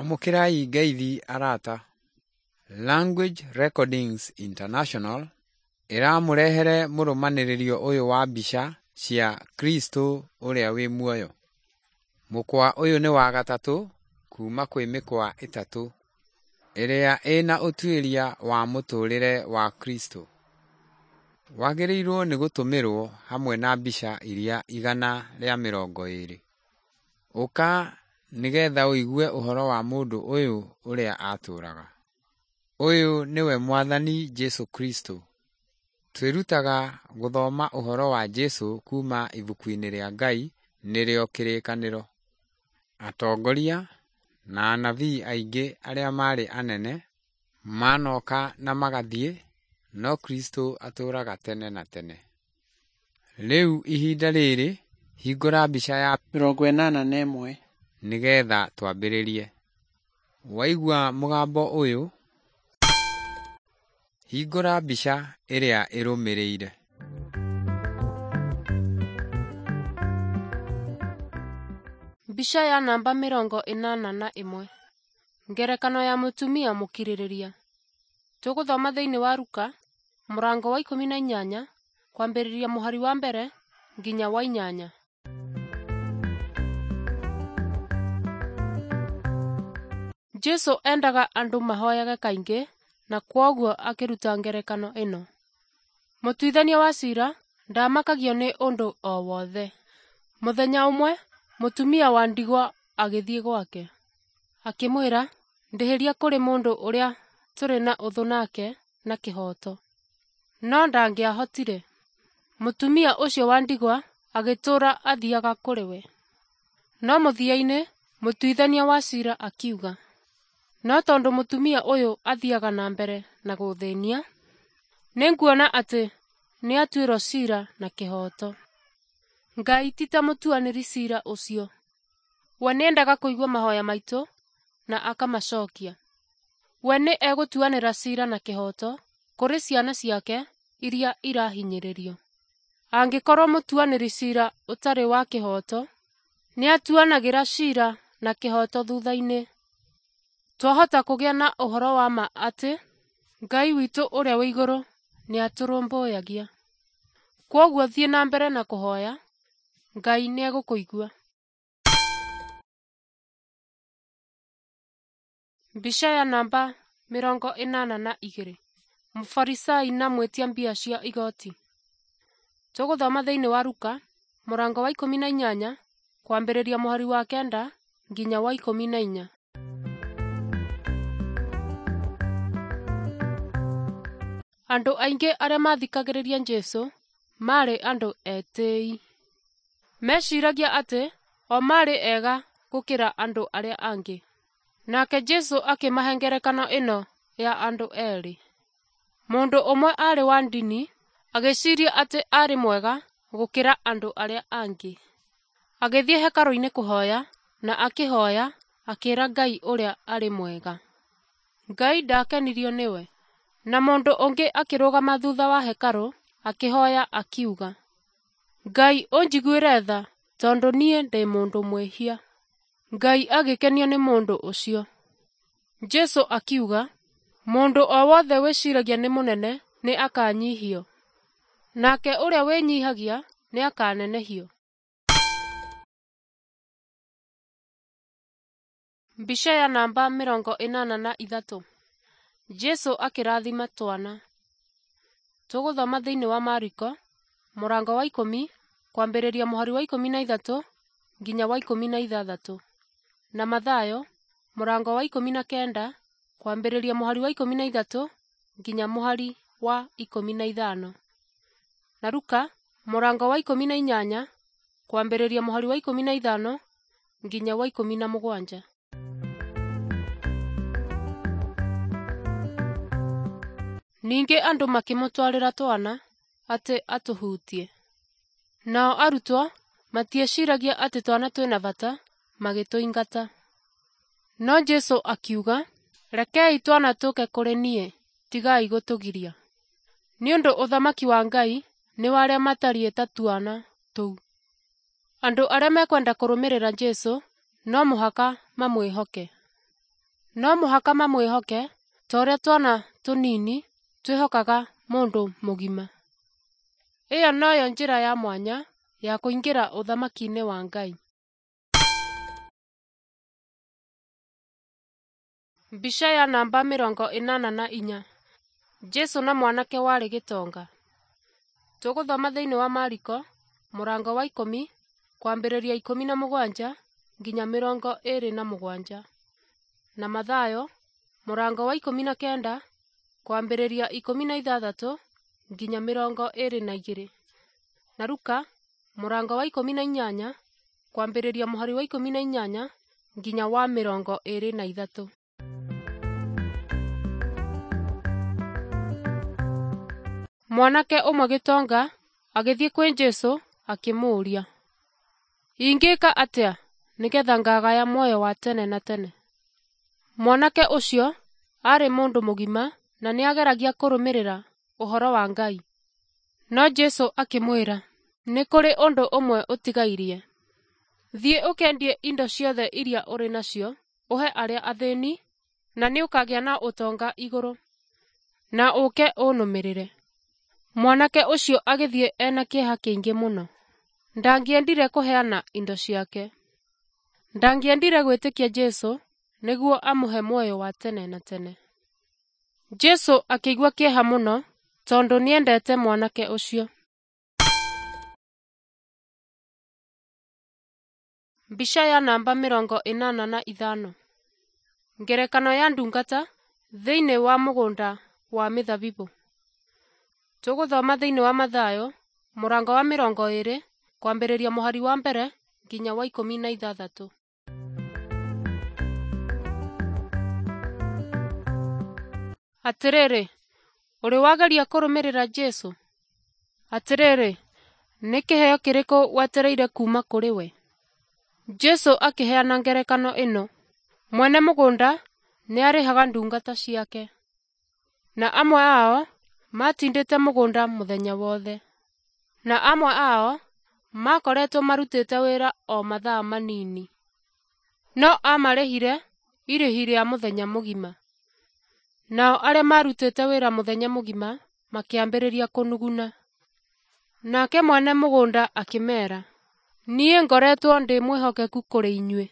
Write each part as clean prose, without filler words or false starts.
Amũkĩrai ngeithi arata. Language Recordings International ĩramũrehere mũrũmanĩrĩrio ũyũ wa mbica cia Kristo ũrĩa wĩ muoyo. Mũkwa ũyũ nĩ wa gatatũ kuma kwĩ mĩkwa ĩtatũ ĩrĩa ĩna ũtuĩria wa mũtũrĩre wa Kristo. Wagĩrĩirwo nĩ gũtũmĩrwo hamwe na mbica iria 120. Ũka nĩgetha ũigue ũhoro wa mũndũ ũyũ ũrĩa atũũraga. Ũyũ nĩwe Mwathani Jesũ Kristo. Twĩrutaga gũthoma ũhoro wa Jesũ kuma ibuku-inĩ rĩa Ngai nĩrĩo Kĩrĩkanĩro. Atongoria na anabii aingĩ arĩa maarĩ anene manoka na magathiĩ, no Kristo atũũraga tene na tene. Rĩu ihinda rĩrĩ, hingũra mbica ya 81. nĩgetha twambĩrĩrie. Waigua mũgambo ũyũ, hingũra mbica ĩrĩa ĩrũmĩrĩire. Mbica ya namba 81. Ngerekano ya mũtumia mũkirĩrĩria. Tũgũthoma thĩinĩ wa Luka mũrango wa 18 kwambĩrĩria mũhari wa 1 nginya wa 8. Jesũ endaga andũ mahoyage kaingĩ na kwoguo akĩruta ngerekano ĩno. Mũtuithania wa ciira ndamakagio nĩ ũndũ o wothe. Mũthenya ũmwe mũtumia wa ndigwa agĩthiĩ gwake, akĩmwĩra, "Ndĩhĩria kũrĩ mũndũ ũrĩa tũrĩ na ũthũ nake na kĩhooto." No ndangĩahotire. Mũtumia ũcio wa ndigwa agĩtũũra athiaga kũrĩ we. No mũthia-inĩ mũtuithania wa ciira akiuga, "No tondũ mũtumia ũyũ athiaga na mbere na gũthĩnia, nĩnguona atĩ nĩatuĩrwo ciira na kĩhooto." Ngai ti ta mũtuanĩri ciira ũcio. We nĩendaga kũigua mahoya maitũ na akamacokia. We nĩ egũtuanĩra ciira na kĩhooto kũrĩ ciana ciake iria irahinyĩrĩrio. Angĩkorwo mũtuanĩri ciira ũtarĩ wa kĩhooto nĩatuanagĩra ciira na kĩhooto thutha-inĩ, twahota kũgĩa na ũhoro wa ma atĩ Ngai witũ ũrĩa wĩ igũrũ nĩatũrũmbũyagia. Kwoguo thiĩ na mbere na kũhoya, Ngai nĩegũkũigua. Mbica ya namba 82. Mũfarisai na mwĩtia mbia cia igoti. Tũgũthoma thĩinĩ wa Luka mũrango wa 18 kwambĩrĩria mũhari wa 9 nginya wa 14. Andũ aingĩ arĩa mathikagĩrĩria Jesũ maarĩ andũ etĩĩi. Meciragia atĩ o maarĩ ega gũkĩra andũ arĩa angĩ. Nake Jesũ akĩmahe ngerekano ĩno ya andũ erĩ. Mũndũ ũmwe aarĩ wa ndini agĩciria atĩ aarĩ mwega gũkĩra andũ arĩa angĩ. Agĩthiĩ hekarũ-inĩ kũhoya na akĩhoya akĩĩra Ngai ũrĩa arĩ mwega. Ngai ndakenirio nĩwe. Na mũndũ ũngĩ akĩrũgama thutha wa hekarũ akĩhoya akiuga, "Ngai ũnjiguĩre tha tondũ niĩ ndĩ mũndũ mwĩhia." Ngai agĩkenio nĩ mũndũ ũcio. Jesũ akiuga, "Mũndũ o wothe wĩciragia nĩ mũnene nĩ akanyihio, nake ũrĩa wĩnyihagia nĩakanenehio." Mbica ya namba 83. Jesũ akĩrathima twana. Tũgũthoma thĩinĩ wa Mariko mũrango wa 10 kwambĩrĩria mũhari wa 13 nginya wa 16, na Mathayo mũrango wa 19 kwambĩrĩria mũhari wa 13 nginya mũhari wa 15, na Luka mũrango wa 18 kwambĩrĩria mũhari wa 15 nginya wa 17. Ningĩ andũ makĩmũtwarĩra twana atĩ atũhutie. Nao arutwo matieciragia atĩ twana twĩna bata, magĩtũingata. No Jesũ akiuga, "Rekei twana tũke kũrĩ niĩ, tigai gũtũgiria, nĩ ũndũ ũthamaki wa Ngai nĩ wa arĩa matariĩ ta twana tũu." Andũ arĩa mekwenda kũrũmĩrĩra Jesũ no mũhaka mamwĩhoke. No mũhaka mamwĩhoke ta ũrĩa twana tũnini twĩhokaga mũndũ mũgima. Ĩyo noyo njĩra ya mwanya ya kũingĩra ũthamaki-inĩ wa Ngai. Mbica ya namba 84. Jesũ na mwanake warĩ gĩtonga. Tũgũthoma thĩinĩ wa Mariko mũrango wa 10 kwambĩrĩria 17 nginya 27, na Mathayo mũrango wa 19 kwambĩrĩria 16 nginya 22, na Luka mũrango wa 18 kwambĩrĩria mũhari wa 18 nginya wa 23. Mwanake ũmwe gĩtonga agĩthiĩ kwĩ Jesũ akĩmũũria, ingĩka atĩa nĩgetha ngagaya muoyo wa tene na tene? Mwanake ũcio aarĩ mũndũ mũgima na nĩageragia kũrũmĩrĩra ũhoro wa Ngai. No Jesũ akĩmwĩra, nĩ kũrĩ ũndũ ũmwe ũtigairie. Thiĩ ũkendie indo ciothe iria ũrĩ nacio ũhe arĩa athĩni, na nĩũkagĩa na ũtonga igũrũ, na ũũke ũnũmĩrĩre. Mwanake ũcio agĩthiĩ ena kĩeha kĩingĩ mũno. Ndangĩendire kũheana indo ciake. Ndangĩendire gwĩtĩkia Jesũ nĩguo amũhe muoyo wa tene na tene. Jesũ akĩigua kĩeha mũno tondũ nĩendete mwanake ũcio. Mbica ya namba 85. Ngerekano ya ndungata thĩinĩ wa mũgũnda wa mĩthabibũ. Tũgũthoma thĩinĩ wa Mathayo mũrango wa 20 kwambĩrĩria mũhari wa 1 nginya wa 16. Atĩrĩrĩ, ũrĩ wageria kũrũmĩrĩra Jesũ? Atĩrĩrĩ, nĩ kĩheo kĩrĩkũ wetereire kuuma kũrĩ we? Jesũ akĩheana ngerekano ĩno: mwene mũgũnda nĩarĩhaga ndungata ciake, na amwe ao matindĩte mũgũnda mũthenya wothe, na amwe ao makoretwo marutĩte wĩra o mathaa manini, no amarĩhire irĩhi rĩa mũthenya mũgima. Nao arĩa marutĩte wĩra mũthenya mũgima makĩambĩrĩria kũnuguna. Nake mwene mũgũnda akĩmeera, niĩ ngoretwo ndĩ mwĩhokeku kũrĩ inyuĩ.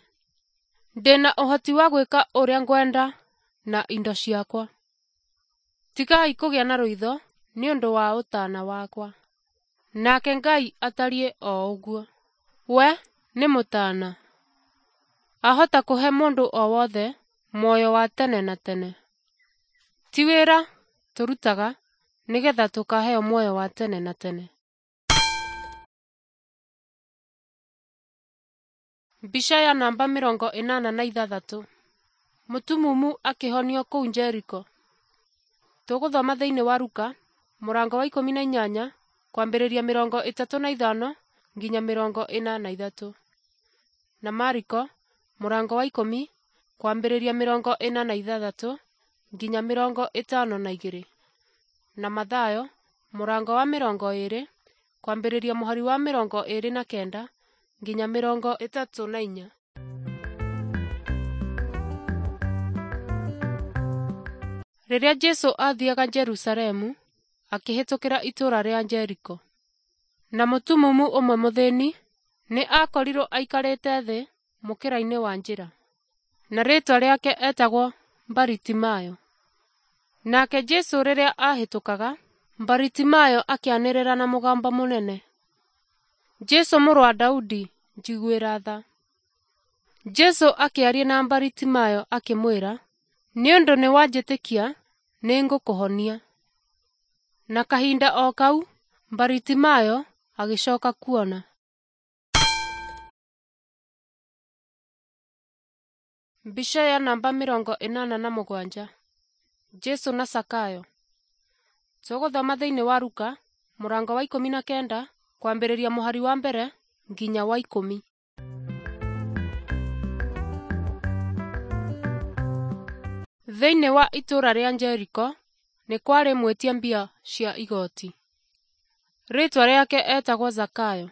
Ndĩna ũhoti wa gwĩka ũrĩa ngwenda na indo ciakwa. Tigai kũgĩa na rũitho nĩ ũndũ wa ũtaana wakwa. Nake Ngai atariĩ o ũguo. We nĩ mũtaana. Ahota kũhe mũndũ o wothe muoyo wa tene na tene. Ti wĩra tũrutaga nĩgetha tũkaheo muoyo wa tene na tene. Mbica ya namba 86. Mũtumumu akĩhonio kũu Jeriko. Tũgũthoma thĩinĩ wa Luka mũrango wa 18 kwambĩrĩria 35 nginya 43, na Mariko mũrango wa 10 kwambĩrĩria 46 nginya 52, na Mathayo mũrango wa 20 kwambĩrĩria mũhari wa 29 nginya 34. Rĩrĩa Jesũ aathiaga Jerusalemu, akĩhĩtũkĩra itũũra rĩa Jeriko. Na mũtumumu ũmwe mũthĩni nĩ aakorirwo aikarĩte thĩ mũkĩra-inĩ wa njĩra, na rĩĩtwa rĩake etagwo Baritimayo. Nake Jesũ rĩrĩa aahĩtũkaga, Baritimayo akĩanĩrĩra na mũgambo mũnene, Jesũ mũrũ wa Daudi, njiguĩra tha. Jesũ akĩaria na Baritimayo akĩmwĩra, nĩ ũndũ nĩwanjĩtĩkia, nĩngũkũhonia. Na kahinda o kau Baritimayo agĩcoka kuona. Mbica ya namba 87. Jesũ na Zakayo. Tũgũthoma thĩinĩ wa Luka mũrango wa 19 kwambĩrĩria mũhari wa 1 nginya wa 10. Thĩinĩ wa itũũra rĩa Jeriko nĩ kwarĩ mwĩtia mbia cia igoti. Rĩĩtwa rĩake etagwo Zakayo.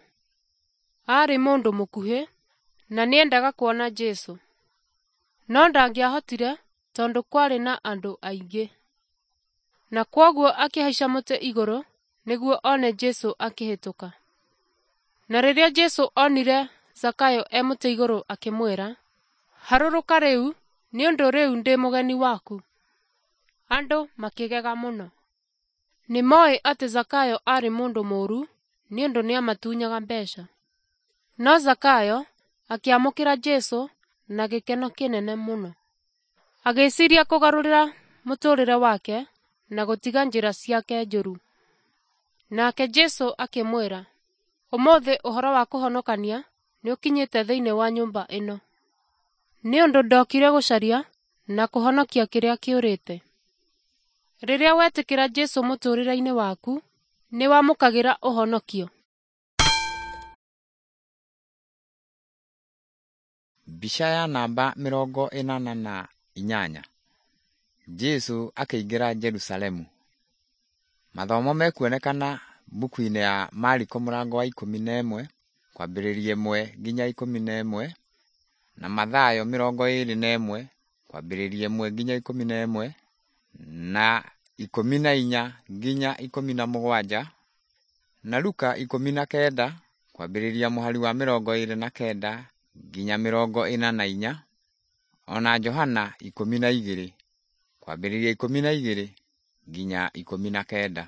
Aarĩ mũndũ mũkuhĩ na nĩendaga kuona Jesũ, no ndangĩahotire tondũ kwarĩ na andũ aingĩ. Na kwoguo akĩhaica mũtĩ igũrũ nĩguo one Jesũ akĩhĩtũka. Na rĩrĩa Jesũ onire Zakayo e mũtĩ igũrũ akĩmwĩra, "Harũrũka rĩu, nĩ ũndũ rĩu ndĩ mũgeni waku." Andũ makĩgega mũno. Nĩ moĩ atĩ Zakayo aarĩ mũndũ mũũru nĩ ũndũ nĩamatunyaga mbeca. No Zakayo akĩamũkĩra Jesũ na gĩkeno kĩnene mũno. Agĩciria kũgarũrĩra mũtũũrĩre wake na gũtiga njĩra ciake njũru. Nake Jesũ akĩmwĩra, "Ũmũthĩ ũhoro wa kũhonokania nĩũkinyĩte thĩinĩ wa nyũmba ĩno. Nĩ ũndũ ndokire gũcaria na kũhonokia kĩrĩa kĩũrĩte." Rĩrĩa wetĩkĩra Jesũ mũtũũrĩre-inĩ waku, nĩwamũkagĩra ũhonokio. Mbica ya namba 88. Jesũ akĩingĩra Jerusalemu. Mathomo mekuonekana mbuku-inĩ ya Mariko mũrango wa 11 kwambĩrĩria 1 nginya 11 na Mathayo 21 kwambĩrĩria 1 nginya 11 na 14 nginya 17 na Luka 19 kwambĩrĩria mũhari wa 29 nginya 44 ona Johana 12 kwambĩrĩria 12 nginya 19.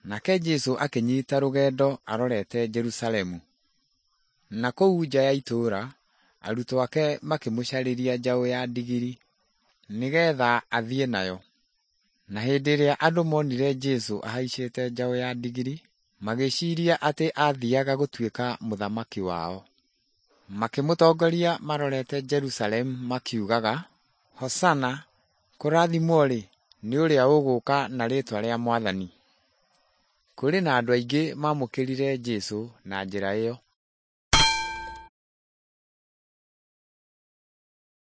Nake Jesũ akĩnyiita rũgendo arorete Jerusalemu. Na kũu nja ya itũũra, arutwo ake makĩmũcarĩria njaũ ya ndigiri nĩgeetha athiĩ nayo. Na hĩndĩ ĩrĩa andũ monire Jesũ ahaicĩte njaũ ya ndigiri, magĩciiria atĩ aathiiaga gũtuĩka mũthamaki wao. Makĩmũtongoria marorete Jerusalemu makiugaga, "Hosana, kũrathimwo-rĩ, nĩ ũrĩa ũgũũka na rĩĩtwa rĩa Mwathani." Kũrĩ na andũ aingĩ maamũkĩrire Jesũ na njĩra ĩyo.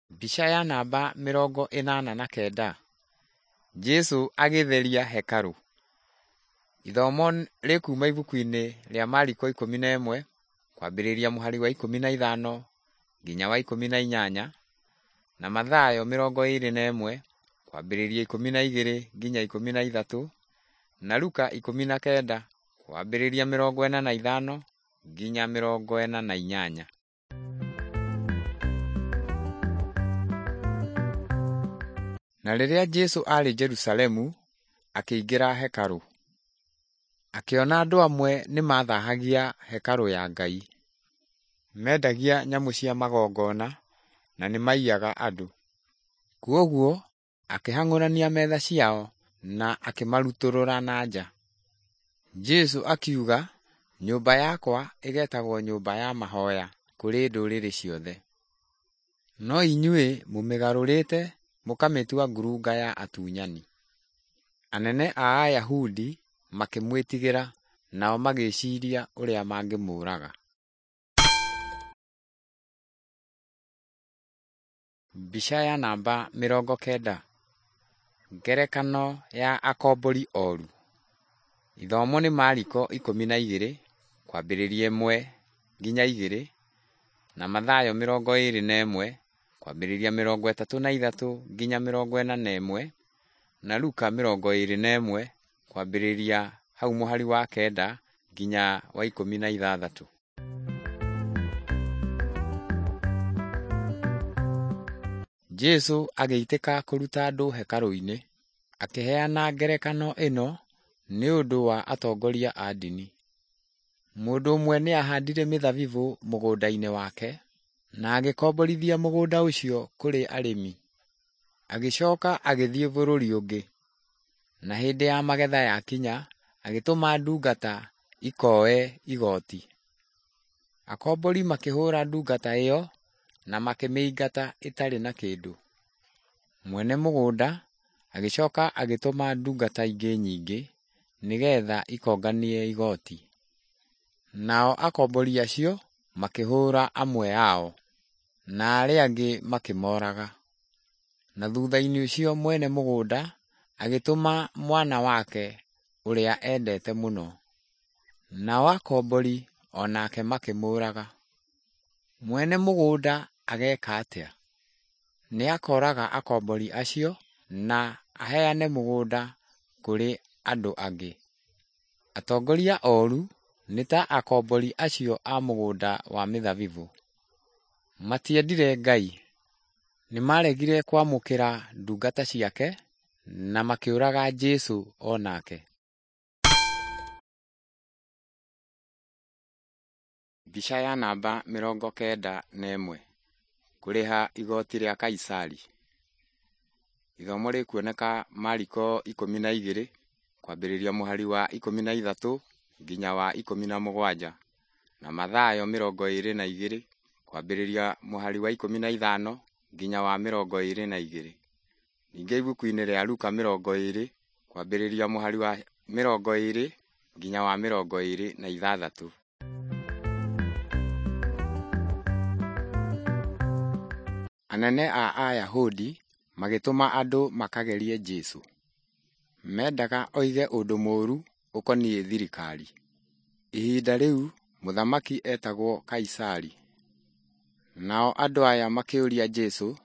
Mbica ya namba 89. Jesũ agĩtheria hekarũ. Ithomo rĩkuuma ibuku-inĩ rĩa Mariko 11 kwambĩrĩria mũhari wa 15 nginya wa 18 na Mathayo 21 kwambĩrĩria 12 nginya 13 na Luka 19 kwambĩrĩria 45 nginya 48. Na rĩrĩa Jesũ aarĩ Jerusalemu, akĩingĩra hekarũ. Akĩona andũ amwe nĩmathaahagia hekarũ ya Ngai. Mendagia nyamũ cia magongona na nĩmaiyaga andũ. Kwoguo akĩhang'ũrania metha ciao na akĩmarutũrũra na nja. Jesũ akiuga, "Nyũmba yakwa ĩgeetagwo nyũmba ya mahooya kũrĩ ndũrĩrĩ ciothe." No inyuĩ mũmĩgarũrĩte mũkamĩtua ngurunga ya atunyani. Anene a Ayahudi makĩmwĩtigĩra, nao magĩciiria ũrĩa mangĩmũũraga. Mbica ya namba 90. Ngerekano ya akombori oru. Ithomo nĩ Mariko 12 kwambĩrĩria 1 nginya 2 na Mathayo 21 kwambĩrĩria 33 nginya 41 na Luka 21 kwambĩrĩria hau mũhari wa 9 nginya wa 16. Jesũ agĩitĩka kũruta andũ hekarũ-inĩ, akĩheana ngerekano ĩno nĩ ũndũ wa atongoria a ndini. Mũndũ ũmwe nĩahandire mĩthabibũ mũgũnda-inĩ wake, na agĩkomborithia mũgũnda ũcio kũrĩ arĩmi. Agĩcoka agĩthiĩ bũrũri ũngĩ. Na hĩndĩ ya magetha yakinya, agĩtũma ndungata ikooe igooti. Akombori makĩhũũra ndungata ĩyo na makĩmĩingata ĩtarĩ na kĩndũ. Mwene mũgũnda agĩcoka agĩtũma ndungata ingĩ nyingĩ nĩgeetha ikonganie igooti. Nao akombori acio makĩhũũra amwe ao, na arĩa angĩ makĩmooraga. Na thutha-inĩ ũcio mwene mũgũnda agĩtũma mwana wake ũrĩa endete mũno. Nao akombori o nake makĩmũũraga. Mwene mũgũnda ageeka atĩa? Nĩakoraga akombori acio na aheane mũgũnda kũrĩ andũ angĩ. Atongoria oru nĩ ta akombori acio a mũgũnda wa mĩthabibũ. Matiendire Ngai. Nĩmaregire kwamũkĩra ndungata ciake na makĩũraga Jesũ o nake. Mbica ya namba 91. Kũrĩha igoti rĩa Kaisari. Ithomo rĩkuoneka Mariko 12 kwambĩrĩria mũhari wa 13 nginya wa 17 na Mathayo 22 kwambĩrĩria mũhari wa 15 nginya wa 22. Ningĩ ibuku-inĩ rĩa Luka 20 kwambĩrĩria mũhari wa 20 nginya wa 26. Anene a Ayahudi magĩtũma andũ makagerie Jesũ. Mendaga oige ũndũ mũũru ũkoniĩ thirikari. Ihinda rĩu mũthamaki etagwo Kaisari. Nao andũ aya makĩũria Jesũ,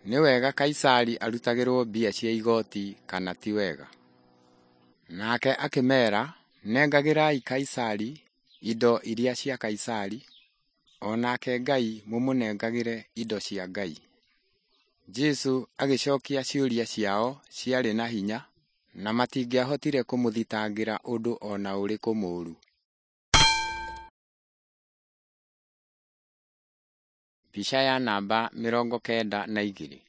nĩ wega Kaisari arutagĩrwo mbia cia igoti kana ti wega? Nake akĩmeera, nengagĩrai Kaisari indo iria cia Kaisari, o nake Ngai mũmũnengagĩre indo cia Ngai. Jesũ agĩcokia ciũria ciao ciarĩ na hinya na matingĩahotire kũmũthitangĩra ũndũ o na ũrĩkũ mũũru. Mbica ya namba 92.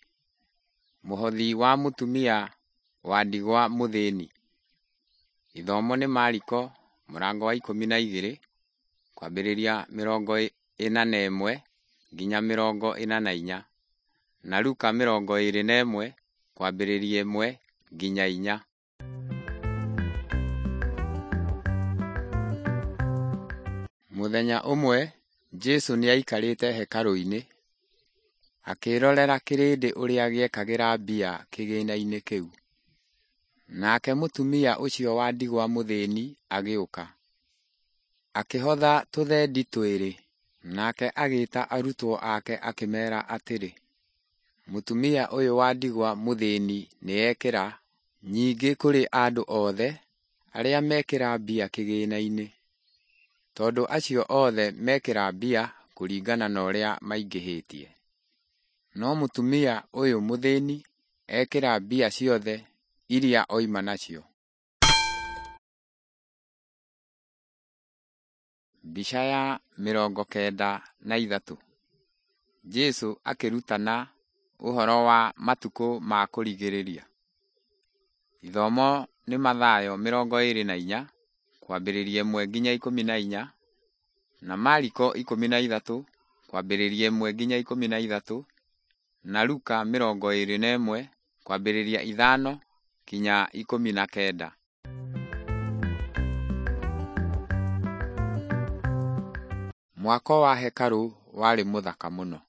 Mũhothi wa mũtumia wa ndigwa mũthĩni. Ithomo nĩ Mariko mũrango wa 12 kwambĩrĩria 41 nginya 44 na Luka 21 kwambĩrĩria 1 nginya 4. Mũthenya ũmwe Jesũ nĩaikarĩte hekarũ-inĩ, akĩĩrorera kĩrĩndĩ ũrĩa gĩekagĩra mbia kĩgĩĩna-inĩ kĩu. Nake mũtumia ũcio wa ndigwa mũthĩni agĩũka, akĩhotha tũthendi twĩrĩ. Nake agĩĩta arutwo ake akĩmeera atĩrĩ, mũtumia ũyũ wa ndigwa mũthĩni nĩekĩra nyingĩ kũrĩ andũ othe arĩa mekĩra mbia kĩgĩĩna-inĩ, tondũ acio othe mekĩra mbia kũringana na ũrĩa maingĩhĩtie. No mũtumia ũyũ mũthĩni ekĩra mbia ciothe iria oima nacio. Mbica ya 93. Jesũ akĩrutana ũhoro wa matukũ ma kũrigĩrĩria. Ithomo nĩ Mathayo 24 kwambĩrĩria 1 nginya 14 na Mariko 13 kwambĩrĩria 1 nginya 13 na Luka 21 kwambĩrĩria 5 nginya 19. Mwako wa hekarũ warĩ mũthaka mũno,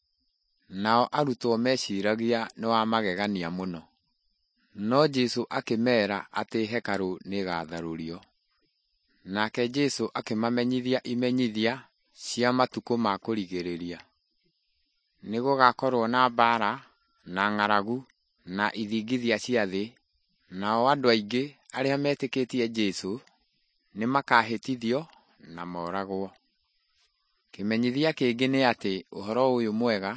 nao arutwo meciragia nĩ wa magegania mũno. No Jesũ akĩmeera atĩ hekarũ nĩĩgatharũrio. Nake Jesũ akĩmamenyithia imenyithia cia matukũ ma kũrigĩrĩria. Nĩgũgakorwo na mbaara na ng'aragu na ithingithia cia thĩ, nao andũ aingĩ arĩa metĩkĩtie Jesũ nĩmakahĩtithio na moragwo. Kĩmenyithia kĩngĩ nĩ atĩ ũhoro ũyũ mwega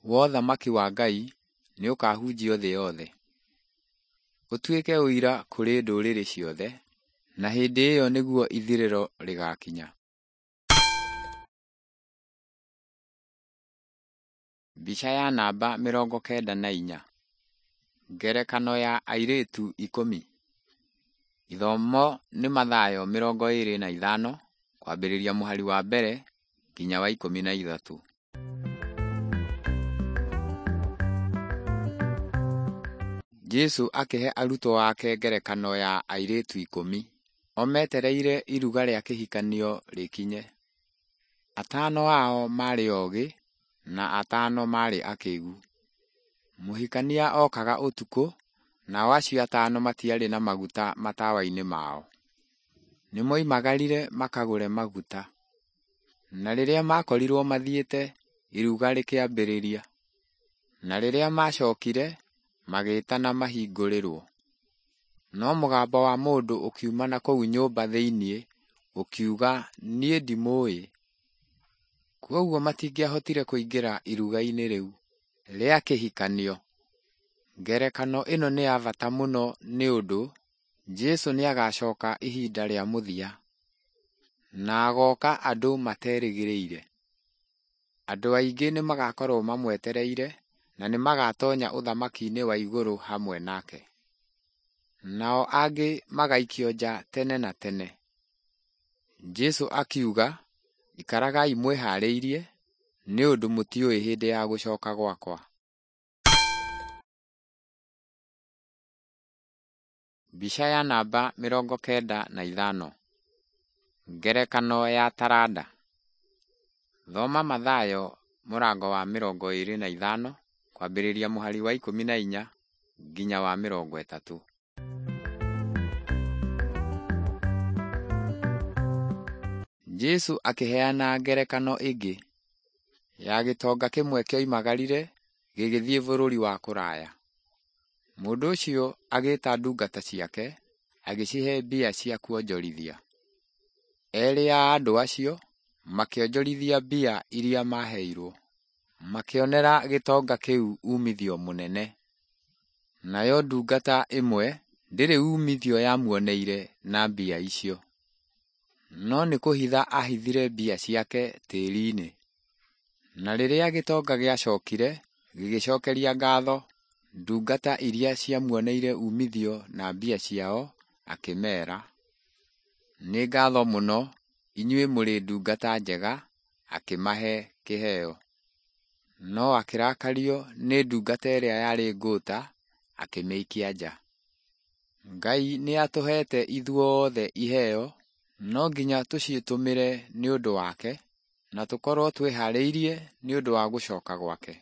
wa ũthamaki wa Ngai nĩũkahunjio thĩ yothe, ũtuĩke ũira kũrĩ ndũrĩrĩ ciothe, na hĩndĩ ĩyo nĩguo ithirĩro rĩgaakinya. Mbica ya namba 94. Ngerekano ya airĩtu 10. Ithomo nĩ Mathayo 25 kwambĩrĩria mũhari wa mbere nginya wa 13. Jesũ akĩhe arutwo ake ngerekano ya airĩtu 10 o metereire iruga rĩa kĩhikanio rĩkinye. Atano ao maarĩ ogĩ na atano maarĩ akĩgu. Mũhikania okaga ũtukũ, nao acio atano matiarĩ na maguta matawa-inĩ mao. Nĩmoimagarire makagũre maguta. Na rĩrĩa makorirwo mathiĩte iruga rĩkĩambĩrĩria. Na rĩrĩa maacokire, magĩĩtana mahingũrĩrwo. No mũgambo wa mũndũ ũkiuma na kũu nyũmba thĩinĩ ũkiuga, niĩ ndimũũĩ. Kwoguo matingĩahotire kũingĩra iruga-inĩ rĩu rĩa kĩhikanio. Ngerekano ĩno nĩ ya bata mũno nĩ ũndũ Jesũ nĩagacoka ihinda rĩa mũthia, na agoka andũ materĩgĩrĩire. Andũ aingĩ nĩmagakorwo mamwetereire na nĩmagatonya ũthamaki-inĩ wa igũrũ hamwe nake. Nao angĩ magaikio nja tene na tene. Jesũ akiuga, ikaragai mwĩhaarĩirie, nĩ ũndũ mũtiũĩ hĩndĩ ya gũcoka gwakwa. Mbica ya namba 95. Ngerekano ya taranda. Thoma Mathayo mũrango wa 25 kwambĩrĩria mũhari wa 14 nginya wa 30. Jesũ akĩheana ngerekano ĩngĩ ya gĩtonga kĩmwe kĩoimagarire gĩgĩthiĩ bũrũri wa kũraya. Mũndũ ũcio agĩĩta ndungata ciake agĩcihe mbia cia kuonjorithia. Erĩ a andũ acio makĩonjorithia mbia iria maaheirwo, makĩonera gĩtonga kĩu uumithio mũnene. Nayo ndungata ĩmwe ndĩrĩ uumithio yamuoneire na mbia icio, no nĩ kũhitha aahithire mbia ciake tĩri-inĩ. Na rĩrĩa gĩtonga gĩacokire gĩgĩcokeria ngatho ndungata iria ciamuoneire uumithio na mbia ciao, akĩmeera, nĩ ngatho mũno, inyuĩ mũrĩ ndungata njega, akĩmahe kĩheo. No akĩrakario nĩ ndungata ĩrĩa yarĩ ngũũta, akĩmĩikia nja. Ngai nĩ atũheete ithuothe iheo, no nginya tũcitũmĩre nĩ ũndũ wake, na tũkorwo twĩhaarĩirie nĩ ũndũ wa gũcoka gwake.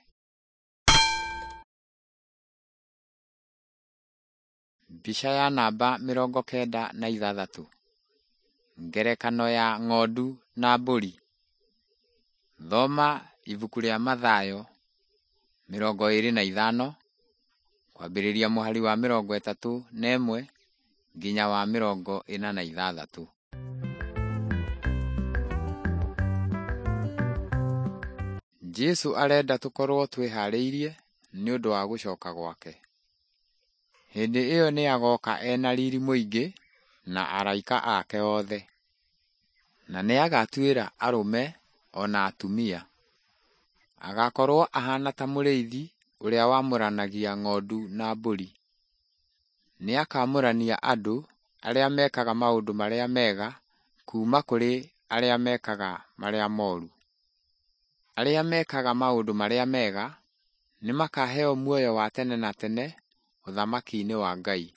Mbica ya namba 96. Ngerekano ya ng'ondu na mbũri. Thoma ibuku rĩa Mathayo 25 kwambĩrĩria mũhari wa 31 nginya wa 46. Jesũ arenda tũkorwo twĩhaarĩirie nĩ ũndũ wa gũcoka gwake. Hĩndĩ ĩyo nĩ agoka ena riri mũingĩ na araika ake othe, na nĩagatuĩra arũme o na atumia. Agakorwo ahana ta mũrĩithi ũrĩa wamũranagia ng'ondu na mbũri. Nĩakamũrania andũ arĩa mekaga maũndũ marĩa mega kuuma kũrĩ arĩa mekaga marĩa moru. Arĩa mekaga maũndũ marĩa mega nĩmakaheo muoyo wa tene na tene ũthamaki-inĩ wa Ngai,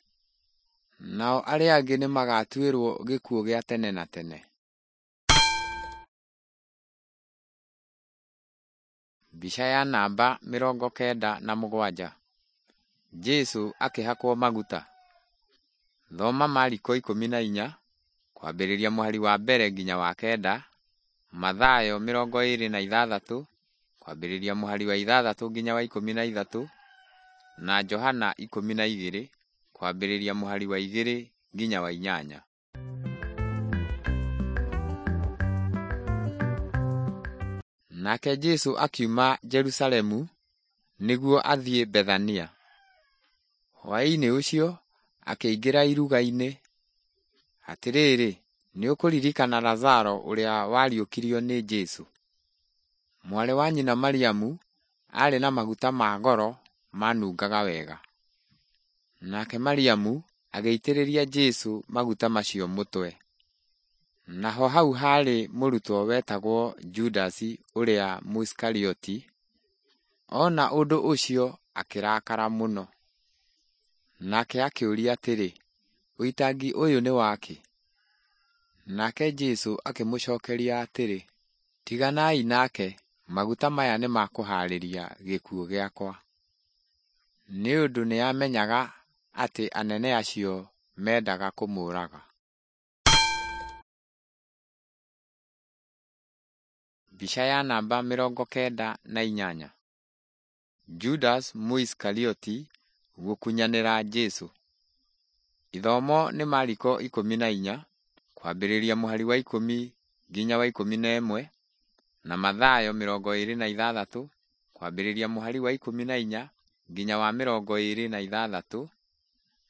nao arĩa angĩ nĩmagatuĩrwo gĩkuũ gĩa tene na tene. Mbica ya namba 97. Jesũ akĩhakwo maguta. Thoma Mariko 14 kwambĩrĩria mũhari wa mbere nginya wa kenda, Mathayo 26 kwambĩrĩria mũhari wa 6 nginya wa 13, na Johana 12 kwambĩrĩria mũhari wa 2 nginya wa 8. Nake Jesũ akiuma Jerusalemu nĩguo athiĩ Bethania. Hwaĩ-inĩ ũcio akĩingĩra iruga-inĩ. Atĩrĩrĩ, nĩũkũririkana Lazaro ũrĩa wariũkirio nĩ Jesũ? Mwarĩ wa nyina Mariamu aarĩ na maguta ma goro manungaga wega. Nake Mariamu agĩitĩrĩria Jesũ maguta macio mũtwe. Naho hau haarĩ mũrutwo wetagwo Judasi ũrĩa Mũisikarioti. Ona ũndũ ũcio akĩrakara mũno. Nake akĩũria atĩrĩ, ũitangi ũyũ nĩ wakĩ? Nake Jesũ akĩmũcookeria atĩrĩ, tiganai nake, maguta maya nĩ ma kũhaarĩria gĩkuũ gĩakwa. Nĩ ũndũ nĩamenyaga atĩ anene acio mendaga kũmũũraga. Mbica ya namba 98. Judas Mũisikarioti gũkunyanĩra Jesũ. Ithomo nĩ Mariko 14, kwambĩrĩria mũhari wa 10 nginya wa 11, na Mathayo 26, kwambĩrĩria mũhari wa 14 nginya wa 26,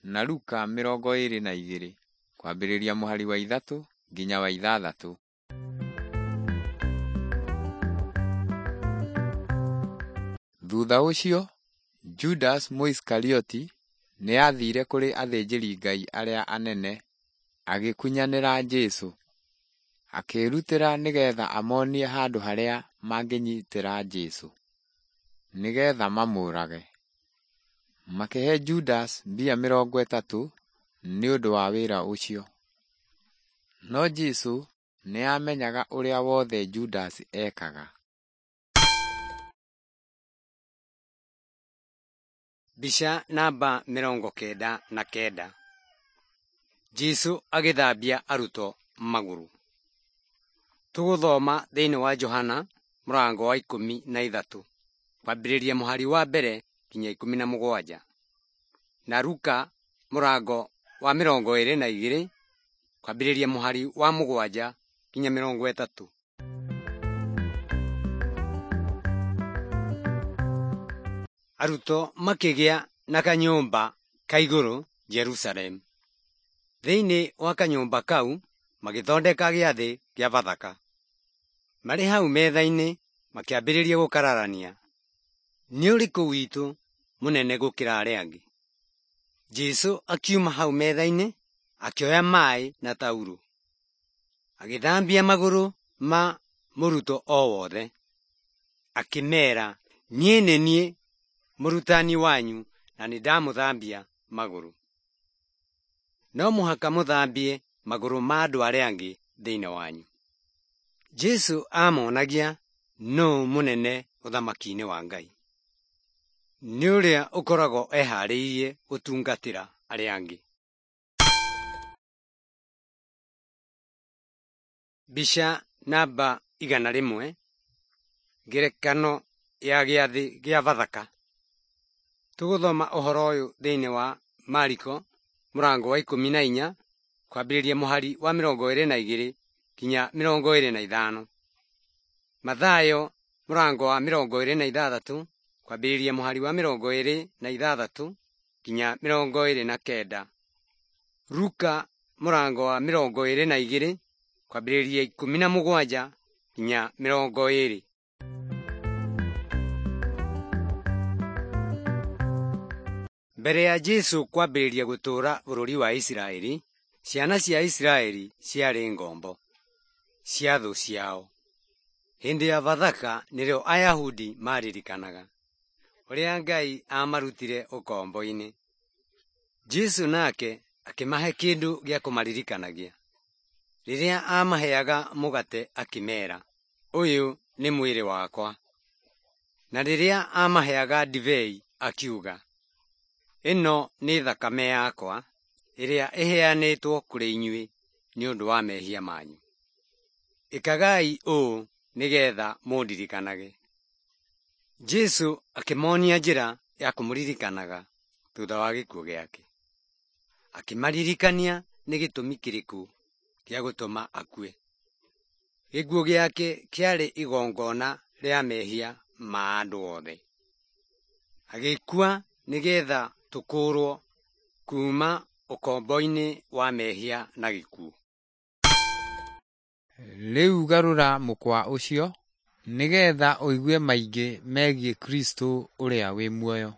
na Luka 22, kwambĩrĩria mũhari wa 3 nginya wa 6. Thutha ũcio, Judas Mũisikarioti nĩ aathire kũrĩ athĩnjĩri-Ngai arĩa anene agĩkunyanĩra Jesũ. Akĩĩrutĩra nĩgetha amonie handũ harĩa mangĩnyitĩra Jesũ, nĩgetha mamũũrage. Makĩhe Judas mbia 30 nĩ ũndũ wa wĩra ũcio. No Jesũ nĩ aamenyaga ũrĩa wothe Judas eekaga. Mbica namba 99. Jesũ agĩthambia arutwo magũrũ. Tũgũthoma thĩinĩ wa Johana mũrango wa 13 kwambĩrĩria mũhari wa 1 nginya 17, na Luka mũrango wa 22 kwambĩrĩria mũhari wa 7 nginya 30. Arutwo makĩgĩa na kanyũmba ka igũrũ Jerusalemu. Thĩinĩ wa kanyũmba kau magĩthondeka gĩathĩ kĩa Bathaka. Marĩ hau metha-inĩ makĩambĩrĩria gũkararania, nĩ ũrĩkũ witũ mũnene gũkĩra arĩa angĩ? Jesũ akiuma hau metha-inĩ akĩoya maĩ na taurũ, agĩthambia magũrũ ma mũrutwo o wothe. Akĩmeera, niĩ nĩ niĩ mũrutani wanyu na nĩndamũthambia magũrũ. No mũhaka mũthambie magũrũ ma andũ arĩa angĩ thĩinĩ wanyu. Jesũ aamonagia nũũ mũnene ũthamaki-inĩ wa Ngai. Nĩ ũrĩa ũkoragwo eharĩirie gũtungatĩra arĩa angĩ. Mbica namba 100, ngerekano ya gĩathĩ gĩa Bathaka. Tũgũthoma ũhoro ũyũ thĩinĩ wa Mariko mũrango wa 14 kwambĩrĩria mũhari wa 22 nginya 25. Mathayo mũrango wa 26 kwambĩrĩria mũhari wa 26 nginya 29. Luka mũrango wa 22 kwambĩrĩria 17 nginya 20. Mbere ya Jesũ kwambĩrĩria gũtũũra bũrũri wa Isiraeli, ciana cia Isiraeli ciarĩ ngombo cia thũ ciao. Hĩndĩ ya Bathaka nĩrĩo Ayahudi maririkanaga ũrĩa Ngai aamarutire ũkombo-inĩ. Jesũ nake akĩmahe kĩndũ gĩa kũmaririkanagia. Rĩrĩa aamaheaga mũgate akĩmeera, ũyũ nĩ mwĩrĩ wakwa. Na rĩrĩa aamaheaga ndibei akiuga, ĩno nĩ thakame yakwa ĩrĩa ĩheanĩtwo kũrĩ inyuĩ nĩ ũndũ wa mehia manyu. Ĩkagai ũũ nĩgetha mũndirikanage. Jesũ akĩmonia njĩra ya kũmũririkanaga thutha wa gĩkuũ gĩake. Akĩmaririkania nĩ gĩtũmi kĩrĩkũ gĩa gũtũma akue. Gĩkuũ gĩake kĩarĩ igongona rĩa mehia ma andũ othe. Agĩkua nĩgetha tũkũũrwo kuuma ũkombo-inĩ wa mehia na gĩkuũ. Rĩu garũra mũkwa ũcio nĩgetha ũigue maingĩ megiĩ Kristo ũrĩa wĩ muoyo.